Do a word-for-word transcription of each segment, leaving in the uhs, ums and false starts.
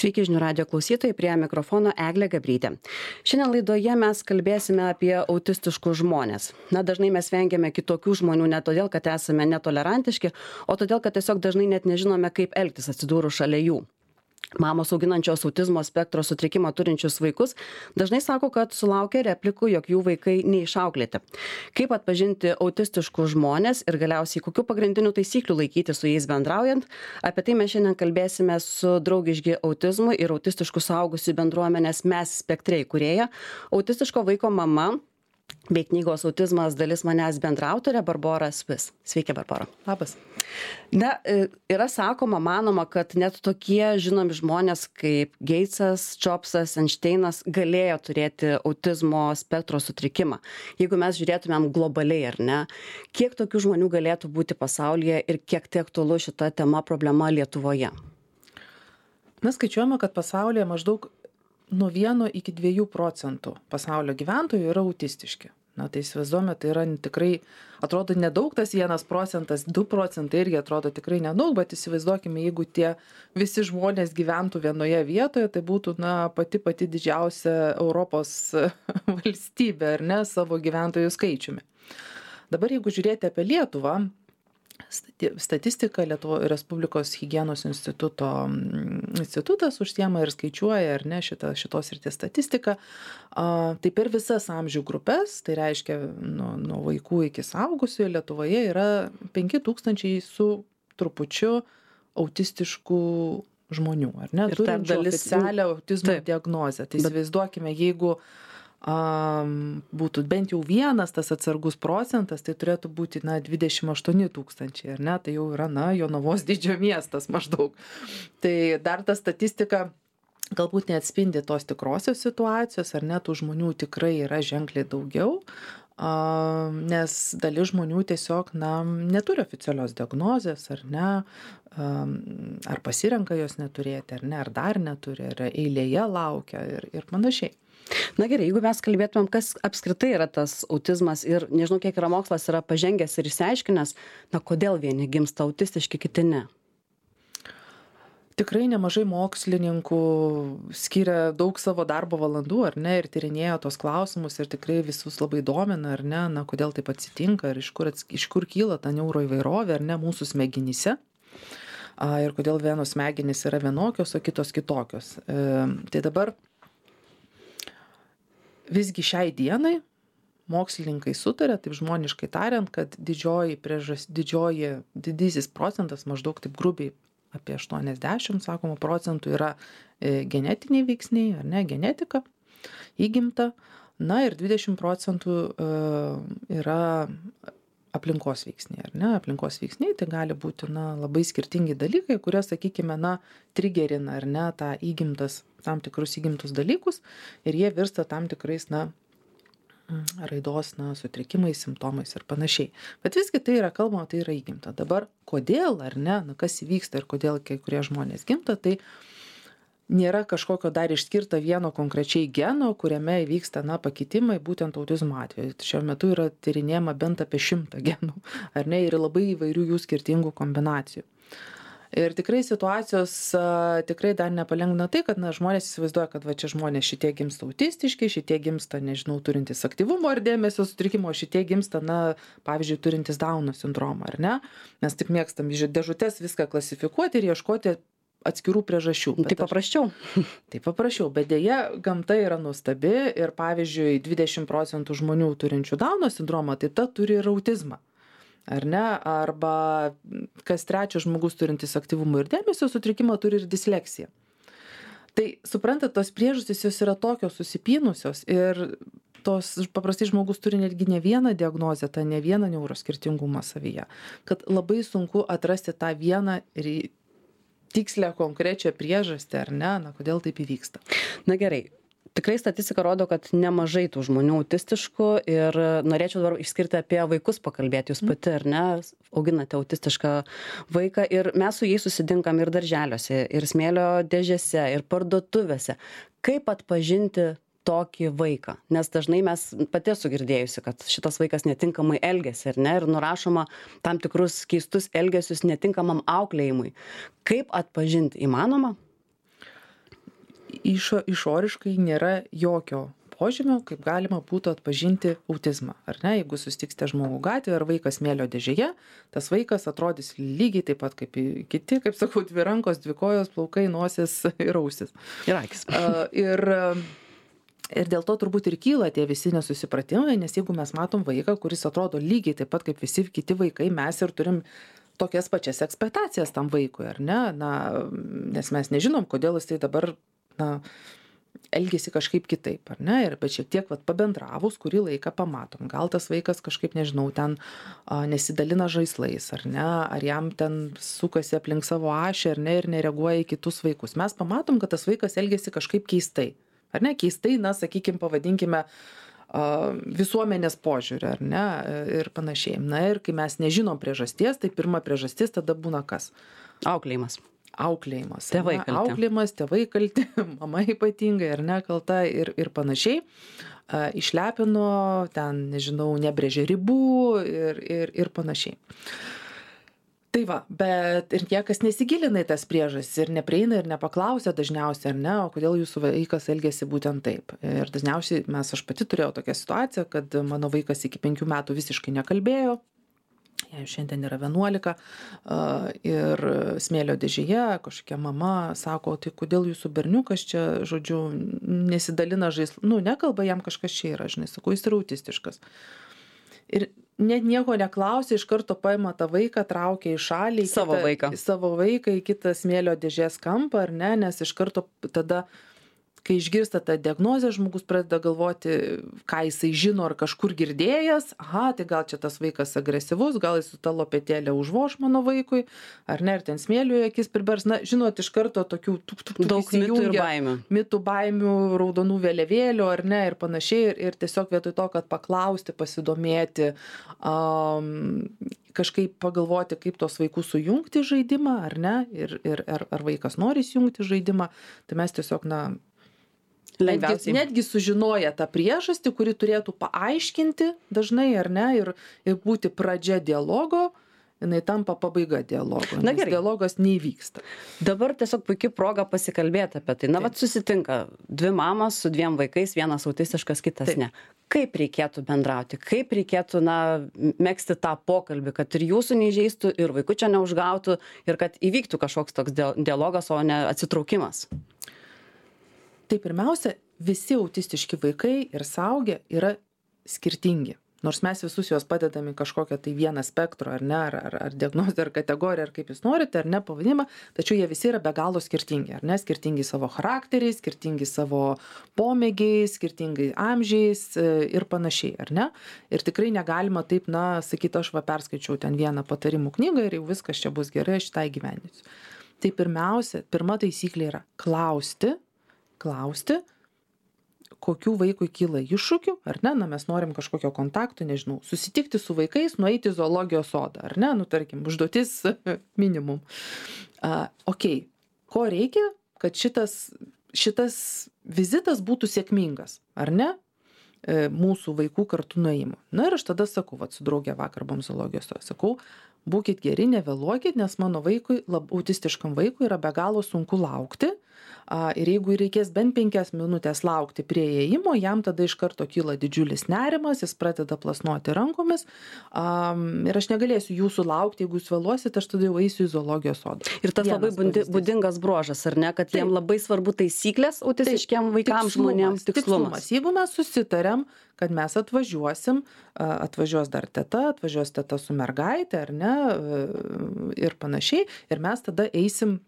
Sveiki žinių radijo klausytojai, prie mikrofono Eglė Gabrytė. Šiandien laidoje mes kalbėsime apie autistiškus žmonės. Na, dažnai mes vengiame kitokių žmonių ne todėl, kad esame netolerantiški, o todėl, kad tiesiog dažnai net nežinome, kaip elgtis atsidūrus šalia jų. Mamos auginančios autizmo spektro sutrikimą turinčius vaikus dažnai sako, kad sulaukia replikų, jog jų vaikai neišauklėti. Kaip atpažinti autistiškus žmonės ir galiausiai kokių pagrindinių taisyklių laikyti su jais bendraujant, apie tai mes šiandien kalbėsime su Draugiški autizmui ir autistiškų suaugusių bendruomenės Mes spektre įkūrėja, autistiško vaiko mama bei knygos Autizmas dalis manęs bendraautorė Barbora Svis. Sveiki, Barbora. Labas. Na, yra sakoma, manoma, kad net tokie žinomi žmonės kaip Geitsas, Jobsas, Einšteinas galėjo turėti autizmo spektro sutrikimą. Jeigu mes žiūrėtumėm globaliai, ar ne, kiek tokių žmonių galėtų būti pasaulyje ir kiek tai aktualu šita tema problema Lietuvoje? Mes skaičiuojame, kad pasaulyje maždaug nuo vieno iki dviejų procentų pasaulio gyventojų yra autistiški. Na, tai įsivaizduojame, tai yra tikrai, atrodo nedaug tas vienas procentas, du procentai irgi atrodo tikrai nedaug, bet įsivaizduokime, jeigu tie visi žmonės gyventų vienoje vietoje, tai būtų, na, pati pati didžiausia Europos valstybė, ar ne, savo gyventojų skaičiumi. Dabar, jeigu žiūrėti apie Lietuvą, statistika Lietuvos Respublikos higienos instituto institutas užsiema ir skaičiuoja, ar ne, šitą, šitos srities statistiką. A, tai per visas amžių grupės, tai reiškia nuo, nuo vaikų iki suaugusių Lietuvoje yra penki tūkstančiai su trupučiu autistiškų žmonių, ar ne, turinčių dalis... oficialią autizmo Taip. diagnozę. Tai įsivaizduokime, jeigu Um, būtų bent jau vienas tas atsargus procentas, tai turėtų būti, na, dvidešimt aštuoni tūkstančiai, ar ne, tai jau yra, na, Jonavos dydžio miestas maždaug. Tai dar ta statistika galbūt neatspindi tos tikrosios situacijos, ar ne, tų žmonių tikrai yra ženkliai daugiau, um, nes dalis žmonių tiesiog, na, neturi oficialios diagnozės, ar ne, um, ar pasirenka jos neturėti, ar ne, ar dar neturi, ar eilėje laukia ir, ir panašiai. Na gerai, jeigu mes kalbėtumėm, kas apskritai yra tas autizmas ir nežinau, kiek yra mokslas yra pažengęs ir išsiaiškinęs, na kodėl vieni gimsta autistiški, kiti ne? Tikrai nemažai mokslininkų skiria daug savo darbo valandų, ar ne, ir tyrinėjo tos klausimus ir tikrai visus labai domina, ar ne, na kodėl taip atsitinka ir iš kur, iš kur kyla ta neuroįvairovė, ar ne, mūsų smegenyse. Ir kodėl vienos smegenys yra vienokios, o kitos kitokios. E, tai dabar visgi šiai dienai mokslininkai sutarė, taip žmoniškai tariant, kad didžioji priežas, didžioji didysis procentas, maždaug taip grubiai apie aštuoniasdešimt, sakoma, procentų yra e, genetiniai veiksniai, ar ne, genetika, įgimta, na ir dvidešimt procentų e, yra aplinkos veiksniai, ar ne, aplinkos veiksniai, tai gali būti, na, labai skirtingi dalykai, kurie, sakykime, na, trigerina, ar ne, tą įgimtas, tam tikrus įgimtus dalykus ir jie virsta tam tikrais, na, raidos, na, sutrikimais, simptomais ir panašiai. Bet visgi tai yra kalbama, tai yra įgimta. Dabar, kodėl, ar ne, na, kas įvyksta ir kodėl kai kurie žmonės gimta, tai nėra kažkokio dar išskirta vieno konkrečiai geno, kuriame įvyksta, na, pakitimai būtent autizmo atveju. Šiuo metu yra tyrinėjama bent apie šimtą genų, ar ne, ir labai įvairių jų skirtingų kombinacijų. Ir tikrai situacijos a, tikrai dar nepalengvina tai, kad, na, žmonės įsivaizduoja, kad va čia žmonės šitie gimsta autistiški, šitie gimsta, nežinau, turintys aktyvumo ar dėmesio sutrikimo, šitie gimsta, na, pavyzdžiui, turintys Dauno sindromą, ar ne? Mes taip mėgstam iš dėžutės viską klasifikuoti ir ieškoti atskirų priežasčių. Tai paprasčiau. Tai paprasčiau, bet dėja gamta yra nuostabi ir, pavyzdžiui, dvidešimt procentų žmonių turinčių Dauno sindromą, tai ta turi ir autizmą. Ar ne, arba kas trečias žmogus turintis aktyvumo ir dėmesio sutrikimą turi ir disleksiją. Tai suprantat, tos priežastys jos yra tokios susipynusios ir tos paprastai žmogus turi netgi ne vieną diagnozę, tą ne vieną neuroskirtingumą savyje, kad labai sunku atrasti tą vieną ir tikslę konkrečią priežastį, ar ne, na kodėl taip įvyksta. Na gerai. Tikrai statistika rodo, kad nemažai tų žmonių autistiškų ir norėčiau dabar išskirti apie vaikus pakalbėti. Jūs pati, ar ne, auginate autistišką vaiką ir mes su jais susitinkam ir darželiuose, ir smėlio dėžėse, ir parduotuvėse. Kaip atpažinti tokį vaiką? Nes dažnai mes pati esu girdėjusi, kad šitas vaikas netinkamai elgiasi, ar ne, ir nurašoma tam tikrus keistus elgesius netinkamam auklėjimui. Kaip atpažinti? Įmanoma? išo, išoriškai nėra jokio požymio, kaip galima būtų atpažinti autizmą. Ar ne, jeigu susitiksite žmogų gatvėje ar vaikas smėlio dėžėje, tas vaikas atrodys lygiai taip pat kaip kiti, kaip sakau, dvi rankos, dvi kojos, plaukai, nosis ir ausis. Ir akis. Ir, ir dėl to turbūt ir kyla tie visi nesusipratimai, nes jeigu mes matom vaiką, kuris atrodo lygiai taip pat kaip visi kiti vaikai, mes ir turim tokias pačias ekspektacijas tam vaikui, ar ne? Na, nes mes nežinom, kodėl jis tai dabar, na, elgėsi kažkaip kitaip, ar ne? Ir bet šiek tiek vat, pabendravus, kurį laiką pamatom. Gal tas vaikas kažkaip, nežinau, ten a, nesidalina žaislais, ar ne? Ar jam ten sukasi aplink savo ašį, ar ne? Ir nereaguoja į kitus vaikus. Mes pamatom, kad tas vaikas elgėsi kažkaip keistai. Ar ne? Keistai, na, sakykime, pavadinkime a, visuomenės požiūrį, ar ne? Ir panašiai. Na ir kai mes nežinom priežasties, tai pirma priežastis tada būna kas? Auklėjimas. Auklėjimas. Tėvai kalti. Auklėjimas, tėvai kalti, mama ypatingai ar nekalta ir, ir panašiai. A, išlepino, ten, nežinau, nebrėžė ribų ir, ir, ir panašiai. Tai va, bet ir niekas nesigilina į tas priežastis ir neprieina ir nepaklausia dažniausiai, ar ne, o kodėl jūsų vaikas elgėsi būtent taip. Ir dažniausiai mes, aš pati turėjau tokią situaciją, kad mano vaikas iki penkių metų visiškai nekalbėjo. Jai šiandien yra vienuolika ir smėlio dėžėje kažkokia mama sako, tai kodėl jūsų berniukas čia, žodžiu, nesidalina žaislų, nu, nekalba, jam kažkas čia yra, žinai, sakau, jis yra autistiškas. Ir net nieko neklausė, iš karto paima tą vaiką, traukia į šalį, į savo kitą, vaiką. savo vaiką į kitą smėlio dėžės kampą, ar ne, nes iš karto tada kai išgirsta tą diagnozę, žmogus pradeda galvoti, ką jisai žino ar kažkur girdėjęs, aha, tai gal čia tas vaikas agresyvus, gal jis su tą lopetėlę užvoš mano vaikui, ar ne, ir ten smėlių į akis pribers, na, žinot, iš karto tokių tuk, tuk, tuk, daug mitų ir baimių. Mitų, baimių, raudonų vėliavėlių, ar ne, ir panašiai, ir, ir tiesiog vietoj to, kad paklausti, pasidomėti, um, kažkaip pagalvoti, kaip tos vaikus sujungti žaidimą, ar ne, ir, ir ar, ar vaikas nori įjungti žaidimą, tai mes tiesiog, na, Netgi, netgi sužinoję tą priežastį, kuri turėtų paaiškinti dažnai, ar ne, ir, ir būti pradžia dialogo, jinai tampa pabaiga dialogo, Na, nes gerai. dialogas neįvyksta. Dabar tiesiog puikia proga pasikalbėti apie tai. Na, vat susitinka dvi mamos su dviem vaikais, vienas autistiškas, kitas Taip. ne. Kaip reikėtų bendrauti, kaip reikėtų, na, megzti tą pokalbį, kad ir jūsų neįžeistų, ir vaikučio neužgautų, ir kad įvyktų kažkoks toks dialogas, o ne atsitraukimas. Tai pirmiausia, visi autistiški vaikai ir suaugę yra skirtingi. Nors mes visus juos padedame kažkokią tai vieną spektro, ar ne, ar, ar, ar diagnozę, ar kategoriją, ar kaip jūs norite, ar ne pavadinimą, tačiau jie visi yra be galo skirtingi, ar ne, skirtingi savo charakteriais, skirtingi savo pomėgiais, skirtingai amžiais ir panašiai, ar ne. Ir tikrai negalima taip, na, sakyti, aš va perskaičiau ten vieną patarimų knygą ir jau viskas čia bus gerai, aš tą įgyvendinsiu. Tai pirmiausia, pirma taisyklė yra klausti, klausti, kokių vaikui kyla iššūkių, ar ne, na, mes norim kažkokio kontakto, nežinau, susitikti su vaikais, nueiti į zoologijos sodą, ar ne, nu, tarkim, užduotis minimum. Uh, ok, ko reikia, kad šitas, šitas vizitas būtų sėkmingas, ar ne, e, mūsų vaikų kartu nuėjimo. Na ir aš tada sakau, vat, su draugė vakar buvom zoologijos sodą, sakau, būkit geri, nevėluokit, nes mano vaikui, lab, autistiškam vaikui yra be galo sunku laukti. Ir jeigu reikės bent penkias minutės laukti prie įėjimo, jam tada iš karto kyla didžiulis nerimas, jis pradeda plasnuoti rankomis. Um, ir aš negalėsiu jūsų laukti, jeigu jūs vėluosit, aš tada jau eisiu į zoologijos sodą. Ir tas Vienas labai bundi, pavyzdys. būdingas bruožas, ar ne, kad Taip. jiem labai svarbu taisyklės autistiškiem vaikams, žmonėms, tikslumas. Jeigu mes susitarėm, kad mes atvažiuosim, atvažiuos dar teta, atvažiuos teta su mergaitė, ar ne, ir panašiai, ir mes tada eisim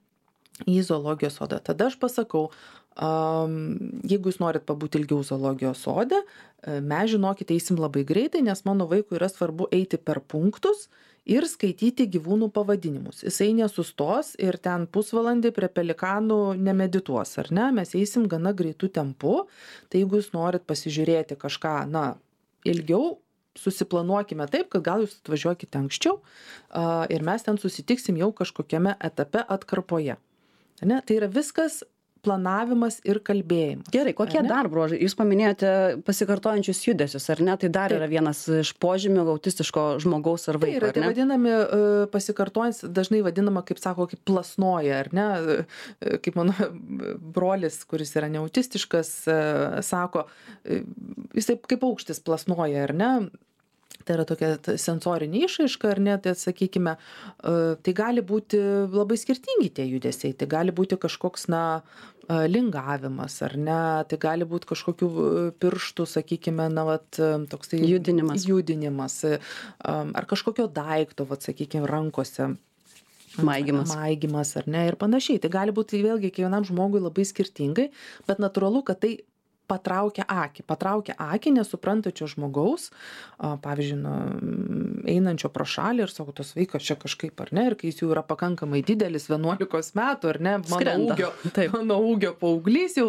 į zoologijos sodą. Tada aš pasakau, um, jeigu jūs norit pabūti ilgiau zoologijos sode, mes žinokite, eisim labai greitai, nes mano vaikui yra svarbu eiti per punktus ir skaityti gyvūnų pavadinimus. Jisai nesustos ir ten pusvalandį prie pelikanų nemedituos, ar ne? Mes eisim gana greitų tempu, tai jeigu jūs norit pasižiūrėti kažką, na, ilgiau, susiplanuokime taip, kad gal jūs atvažiuokite anksčiau uh, ir mes ten susitiksim jau kažkokiame etape atkarpoje. Ne? Tai yra viskas planavimas ir kalbėjimas. Gerai, kokie dar bruožai? Jūs paminėjote pasikartojančius judesius, ar ne? Tai dar Taip. Yra vienas iš požymių autistiško žmogaus ar vaiko, tai yra, ar ne? Tai vadinami uh, pasikartojantis, dažnai vadinama, kaip sako, kaip plasnoja, ar ne? Uh, kaip mano brolis, kuris yra neautistiškas, uh, sako, uh, jisai kaip aukštis plasnoja, ar ne? Tai yra tokia sensorinė išraiška, ar ne, tai sakykime, tai gali būti labai skirtingi tie judesiai, tai gali būti kažkoks, na, lingavimas, ar ne, tai gali būti kažkokių pirštų, sakykime, na, vat, toksai judinimas, judinimas ar kažkokio daikto, vat, sakykime, rankose. Maigymas. Maigymas, ar ne, ir panašiai. Tai gali būti vėlgi kiekvienam žmogui labai skirtingai, bet natūralu, kad tai patraukia akį, patraukia akį nesuprantačio žmogaus, pavyzdžiui, nu, einančio pro šalį ir sako, tos vaikas čia kažkaip, ar ne, ir kai jis jau yra pakankamai didelis, vienuolikos metų, ar ne, mano ūgio, mano ūgio paauglys jau,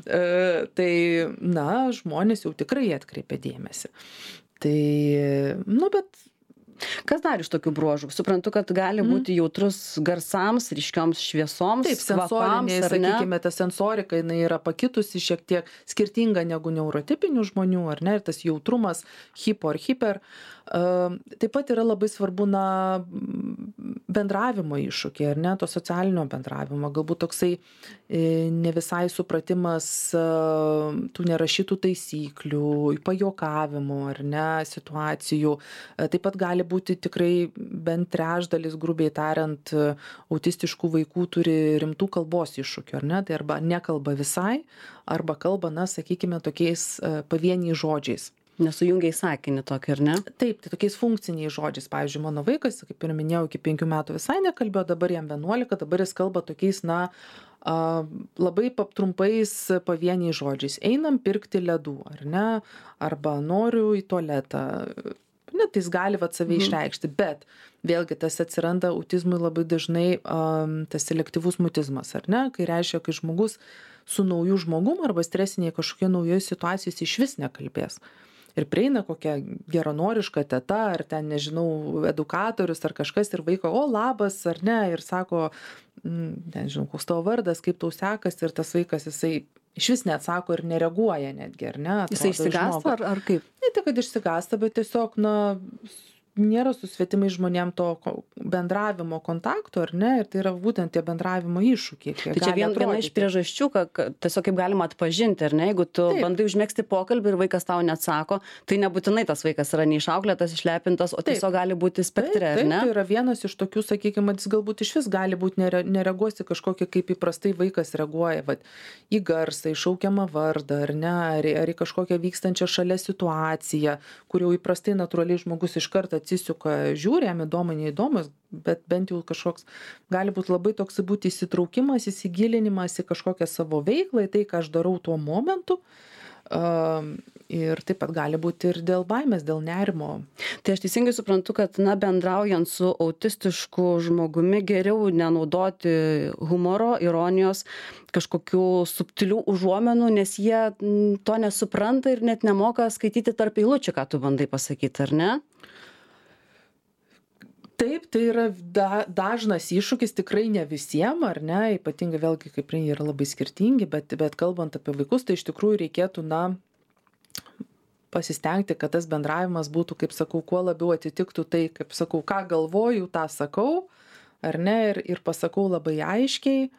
e, tai, na, žmonės jau tikrai atkreipia dėmesį. Tai, nu, bet Kas dar iš tokių bruožų? Suprantu, kad gali būti jautrus garsams, ryškioms šviesoms, Taip, sensoriniai, sakykime, ta sensorika, jinai yra pakitusi šiek tiek skirtinga negu neurotipinių žmonių, ar ne, ir tas jautrumas, hipo ar hiper. Taip pat yra labai svarbu, na, bendravimo iššūkiai, ar ne, to socialinio bendravimo, galbūt toksai ne visai supratimas tų nerašytų taisyklių, pajokavimų, ar ne, situacijų. Taip pat gali būti tikrai bent trečdalis, grubiai tariant, autistiškų vaikų turi rimtų kalbos iššūkių, ar ne, tai arba nekalba visai, arba kalba, na, sakykime, tokiais pavieniais žodžiais. Nesujungia į sakinį tokį, ar ne? Taip, tai tokiais funkciniais žodžiais. Pavyzdžiui, mano vaikas, kaip ir minėjau, iki penkių metų visai nekalbėjo, dabar jam vienuolika, dabar jis kalba tokiais, na, labai trumpais pavieniais žodžiais. Einam pirkti ledų, ar ne? Arba noriu į tualetą. Net jis gali vat save išreikšti, bet vėlgi tas atsiranda autizmui labai dažnai um, tas selektyvus mutizmas, ar ne? Kai reiškia, kai žmogus su nauju žmogum arba stresinėje kažkokia naujoje situacijoje iš vis nekalbės. Ir prieina kokia geranoriška teta, ar ten, nežinau, edukatorius, ar kažkas, ir vaiko, o labas, ar ne, ir sako, nežinau, koks tavo vardas, kaip tau sekas, ir tas vaikas, jisai iš vis neatsako ir nereaguoja netgi, ar ne? Jisai išsigąsta, ar, ar kaip? Ne tik, kad išsigąsta, bet tiesiog, na, nėra su svetimais žmonėm to bendravimo kontakto, ar ne, ir tai yra būtent tie bendravimo iššūkiai. Tai čia vien, viena iš priežasčių, kad tiesiog kaip galima atpažinti, ar ne, jeigu tu Taip. bandai užmėgsti pokalbį ir vaikas tau neatsako, tai nebūtinai tas vaikas yra neišauklėtas, išlepintas, o Taip. tiesiog gali būti spektre, Taip, ar ne? Tai yra vienas iš tokių, sakykime, jis galbūt iš vis gali būti nere, nereaguosi kažkokie, kaip įprastai vaikas reaguoja, vat, į garsą, į šaukiamą vardą, ar ne, ar, ar į kažkokią vykstančią šalia situaciją, kur jau įprastai natūraliai žmogus iš karto atsisuka, žiūri, jam įdomu, neįdomus, bet bent jau kažkoks gali būti labai toks būti įsitraukimas, įsigilinimas į kažkokią savo veiklą, į tai, ką aš darau tuo momentu. Uh, ir taip pat gali būti ir dėl baimės, dėl nerimo. Tai aš teisingai suprantu, kad, na, bendraujant su autistišku žmogumi geriau nenaudoti humoro, ironijos, kažkokių subtilių užuomenų, nes jie to nesupranta ir net nemoka skaityti tarp eilučių, ką tu bandai pasakyti, ar ne? Taip, tai yra da, dažnas iššūkis, tikrai ne visiems, ar ne, ypatingai vėlgi, kaip jie yra labai skirtingi, bet, bet kalbant apie vaikus, tai iš tikrųjų reikėtų, na, pasistengti, kad tas bendravimas būtų, kaip sakau, kuo labiau atitiktų tai, kaip sakau, ką galvoju, tą sakau, ar ne, ir, ir pasakau labai aiškiai,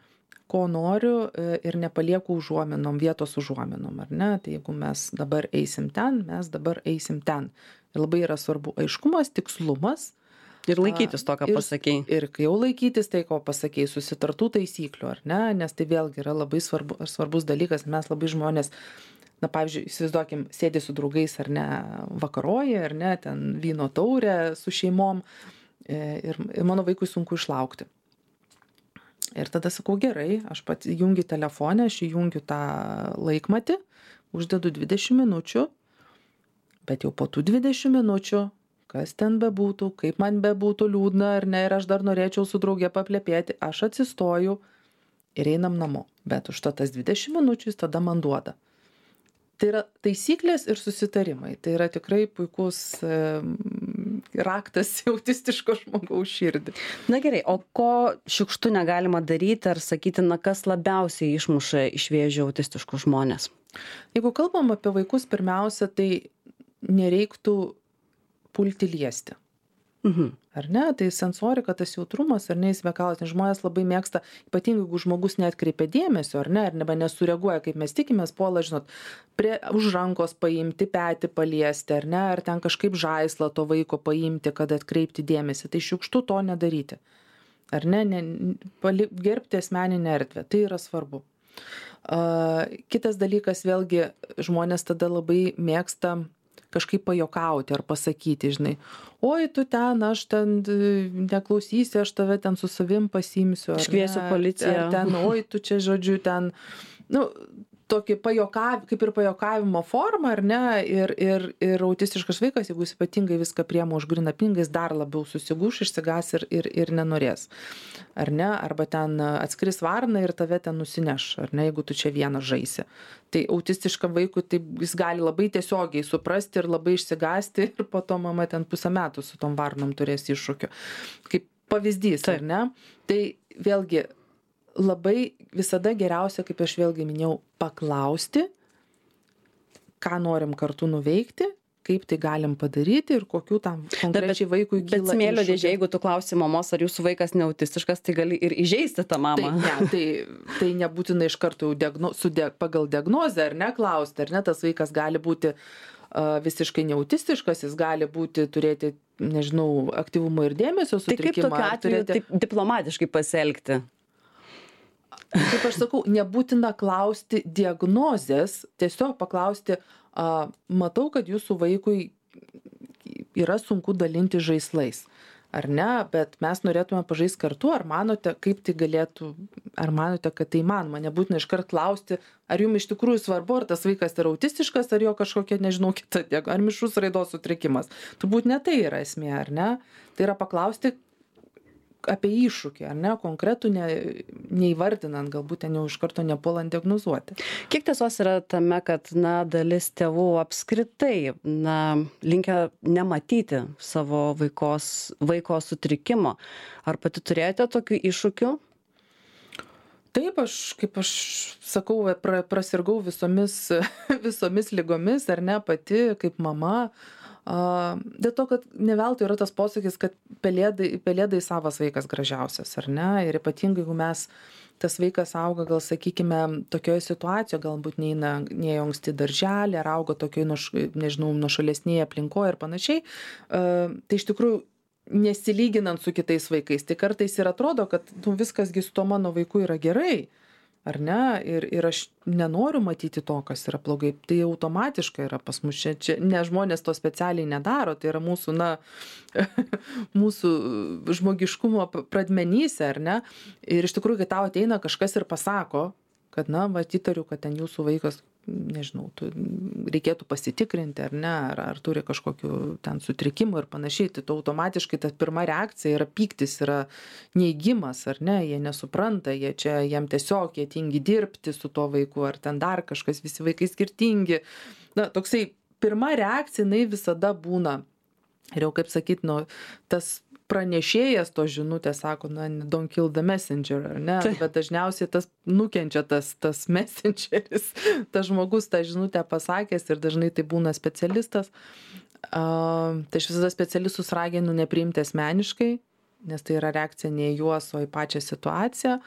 ko noriu ir nepalieku užuominom, vietos užuominom, ar ne, tai jeigu mes dabar eisim ten, mes dabar eisim ten. Ir labai yra svarbu aiškumas, tikslumas, ir laikytis to, ką pasakei. Ir, ir kai jau laikytis tai, ko pasakei, susitartų taisyklių, ar ne, nes tai vėlgi yra labai svarbu, svarbus dalykas, mes labai žmonės, na, pavyzdžiui, įsivaizduokim, sėdi su draugais, ar ne, vakaroja, ar ne, ten vyno taurė su šeimom, ir, ir mano vaikui sunku išlaukti. Ir tada sakau, gerai, aš pat įjungiu telefoną, aš įjungiu tą laikmatį, uždedu dvidešimt minučių, bet jau po tų dvidešimt minučių, kas ten bebūtų, kaip man bebūtų liūdna ar ne, ir aš dar norėčiau su drauge paplepėti, aš atsistoju ir einam namo. Bet už to tas dvidešimt minučių jis tada man duoda. Tai yra taisyklės ir susitarimai. Tai yra tikrai puikus, raktas į autistiško žmogaus širdį. Na gerai, o ko šiukštu negalima daryti ar sakyti, na kas labiausiai išmuša iš vėžių autistiškus žmonės? Jeigu kalbam apie vaikus, pirmiausia, tai nereiktų pulti liesti. Mhm. Ar ne? Tai sensorika, tas jautrumas, ar ne, jis vekalas, nes žmonės labai mėgsta, ypatingai jeigu žmogus neatkreipia dėmesio, ar ne, ar neba nesureaguoja, kaip mes tikimės, puola, žinot, prie, už rankos paimti, petį paliesti, ar ne, ar ten kažkaip žaislą to vaiko paimti, kad atkreipti dėmesį. Tai šiukštu to nedaryti. Ar ne, ne pali, gerbti asmeninę erdvę. Tai yra svarbu. Uh, kitas dalykas, vėlgi, žmonės tada labai mėgsta kažkaip pajokauti ar pasakyti, žinai, oi, tu ten, aš ten neklausysi, aš tave ten su savim pasiimsiu. Iškviesiu policiją. Ar ten, oi, tu čia, žodžiu, ten, nu, tokį pajokav, kaip ir pajokavimo formą, ar ne, ir, ir, ir autistiškas vaikas, jeigu jis ypatingai viską priema už gryną pinigą, jis dar labiau susigūš, išsigas ir, ir, ir nenorės. Ar ne, arba ten atskris varna ir tave ten nusineš, ar ne, jeigu tu čia vienas žaisi. Tai autistiškam vaikui tai jis gali labai tiesiogiai suprasti ir labai išsigasti ir po to mama ten pusę metų su tom varnom turės iššūkių. Kaip pavyzdys, ar ne? Tai vėlgi labai visada geriausia, kaip aš vėlgi minėjau, paklausti, ką norim kartu nuveikti, kaip tai galim padaryti ir kokių tam konkrečiai vaikui kyla. Bet smėlio dėžė, jeigu tu klausi mamos, ar jūsų vaikas neautistiškas, tai gali ir įžeisti tą mamą. Tai, ne, tai, tai nebūtinai iš karto diagno, su de, pagal diagnozę, ar ne, klausti, ar ne, tas vaikas gali būti uh, visiškai neautistiškas, jis gali būti, turėti, nežinau, aktyvumo ir dėmesio sutrikimą. Tai kaip tokiu atveju turėti... taip diplomatiškai pasielgti? Kaip aš sakau, nebūtina klausti diagnozės, tiesiog paklausti, a, matau, kad jūsų vaikui yra sunku dalinti žaislais, ar ne, bet mes norėtume pažaisti kartu, ar manote, kaip tai galėtų, ar manote, kad tai įmanoma, nebūtina iškart klausti, ar jums iš tikrųjų svarbu, ar tas vaikas yra autistiškas, ar jo kažkokia, nežinau, kita, ar mišrus raidos sutrikimas. Turbūt ne tai yra esmė, ar ne, tai yra paklausti apie iššūkį, ar ne, konkretų ne, neįvardinant, galbūt ten jau iš karto nepuolant diagnozuoti. Kiek tiesos yra tame, kad, na, dalis tėvų apskritai, na, linkia nematyti savo vaikos, vaiko sutrikimo? Ar pati turėjote tokių iššūkių? Taip, aš, kaip aš sakau, pra, prasirgau visomis, visomis ligomis, ar ne, pati kaip mama. Uh, dėl to, kad ne veltui yra tas posakis, kad pelėdai, pelėdai savas vaikas gražiausias, ar ne? Ir ypatingai, jeigu mes, tas vaikas auga, gal sakykime, tokioje situacijoje, galbūt neina, neėjo anksti darželį, ar auga tokioje, nuš, nežinau, nuošalesnėje aplinkoje ir panašiai, uh, tai iš tikrųjų nesilyginant su kitais vaikais, tai kartais ir atrodo, kad nu, viskasgi su to mano vaiku yra gerai. Ar ne? Ir, ir aš nenoriu matyti to, kas yra blogai. Tai automatiškai yra pas mus čia, čia ne žmonės to specialiai nedaro, tai yra mūsų, na, mūsų žmogiškumo pradmenyse, ar ne? Ir iš tikrųjų, kai tau ateina kažkas ir pasako, kad, na, va, įtariu, kad ten jūsų vaikas, nežinau, tu, reikėtų pasitikrinti, ar ne, ar, ar turi kažkokių ten sutrikimų ir panašiai, tai tu automatiškai ta pirma reakcija yra pyktis, yra neigimas, ar ne, jie nesupranta, jie čia, jiem tiesiog, jie tingi dirbti su tuo vaiku, ar ten dar kažkas, visi vaikai skirtingi. Na, toksai pirma reakcija, jinai visada būna, ir jau kaip sakyt, nu, tas pranešėjas to žinutės sako, na, don't kill the messenger, ar ne? Tai. Bet dažniausiai tas nukenčia tas, tas messengeris, tas žmogus tą žinutę pasakęs ir dažnai tai būna specialistas. Uh, tai aš visada specialistus raginu nepriimti asmeniškai, nes tai yra reakcija ne į juos, o į pačią situaciją,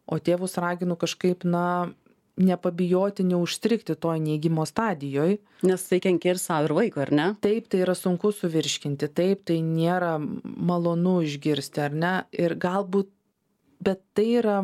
o tėvus raginu kažkaip, na, nepabijoti, neužstrigti toj neigimo stadijoj. Nes tai kenkia ir savo, ir vaiko, ar ne? Taip, tai yra sunku suvirškinti, taip, tai nėra malonu išgirsti, ar ne? Ir galbūt, bet tai yra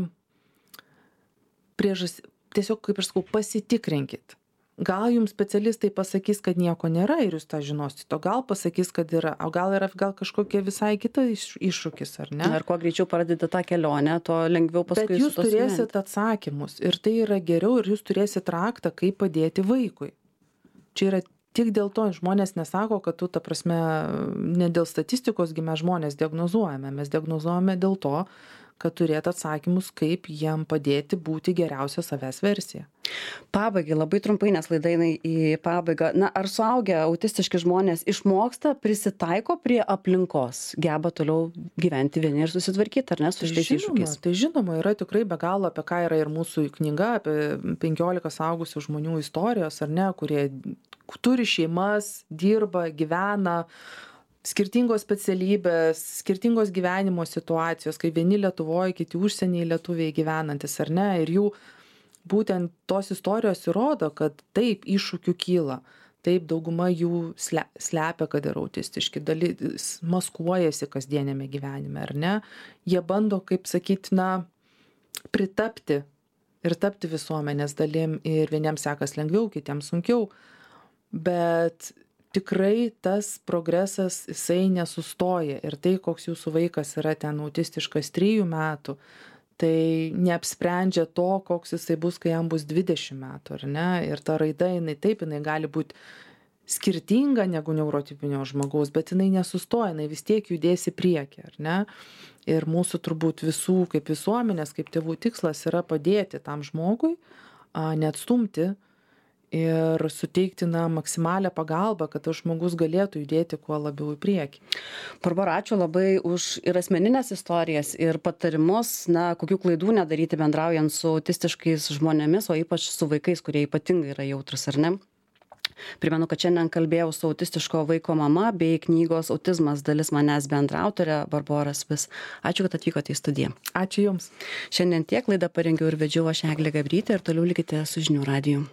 priežas, tiesiog, kaip aš sakau, pasitikrinkit. Gal jums specialistai pasakys, kad nieko nėra ir jūs tą žinosite, o gal pasakys, kad yra, o gal yra gal kažkokia visai kita iššūkis, ar ne? Ir kuo greičiau pradėti tą kelionę, to lengviau paskui. Bet jūs turėsit atsakymus ir tai yra geriau ir jūs turėsit raktą, kaip padėti vaikui. Čia yra tik dėl to, žmonės nesako, kad tu, ta prasme, ne dėl statistikos gi mes žmonės diagnozuojame, mes diagnozuojame dėl to, kad turėtų atsakymus, kaip jiem padėti būti geriausia savęs versija. Pabaigai labai trumpai, nes laida eina į pabaigą. Na, ar suaugę autistiški žmonės išmoksta, prisitaiko prie aplinkos, geba toliau gyventi vieni ir susitvarkyti, ar ne, su šitais iššūkiais? Tai žinoma, yra tikrai be galo, apie ką yra ir mūsų knyga, apie penkiolika suaugusių žmonių istorijos, ar ne, kurie turi šeimas, dirba, gyvena, skirtingos specialybės, skirtingos gyvenimo situacijos, kai vieni Lietuvoje, kiti užsienyje lietuviai gyvenantis, ar ne, ir jų būtent tos istorijos įrodo, kad taip iššūkių kyla, taip dauguma jų slepia, kad yra autistiški, dalis maskuojasi kasdienėme gyvenime, ar ne, jie bando, kaip sakyti, na, pritapti ir tapti visuomenės dalim ir vieniems sekas lengviau, kitiems sunkiau, bet tikrai tas progresas jisai nesustoja ir tai, koks jūsų vaikas yra ten autistiškas trijų metų, tai neapsprendžia to, koks jisai bus, kai jam bus dvidešimt metų, ar ne, ir ta raida, jinai taip, jinai gali būti skirtinga negu neurotipinio žmogaus, bet jinai nesustoja, jinai vis tiek judės į priekį, ar ne, ir mūsų turbūt visų kaip visuomenės, kaip tėvų tikslas yra padėti tam žmogui, neatstumti ir suteikti na, maksimalią pagalbą, kad tas žmogus galėtų judėti kuo labiau į priekį. Barbora, ačiū labai už ir asmeninės istorijas, ir patarimus, na, kokių klaidų nedaryti bendraujant su autistiškais žmonėmis, o ypač su vaikais, kurie ypatingai yra jautrus, ar ne? Primenu, kad šiandien kalbėjau su autistiško vaiko mama bei knygos Autizmas dalis manęs bendraautorė Barbora Spis. Ačiū, kad atvykote į studiją. Ačiū Jums. Šiandien tiek, laidą parengiau ir vedžiau aš Eglė Gabrytė ir toliau likite su Žinių radiju.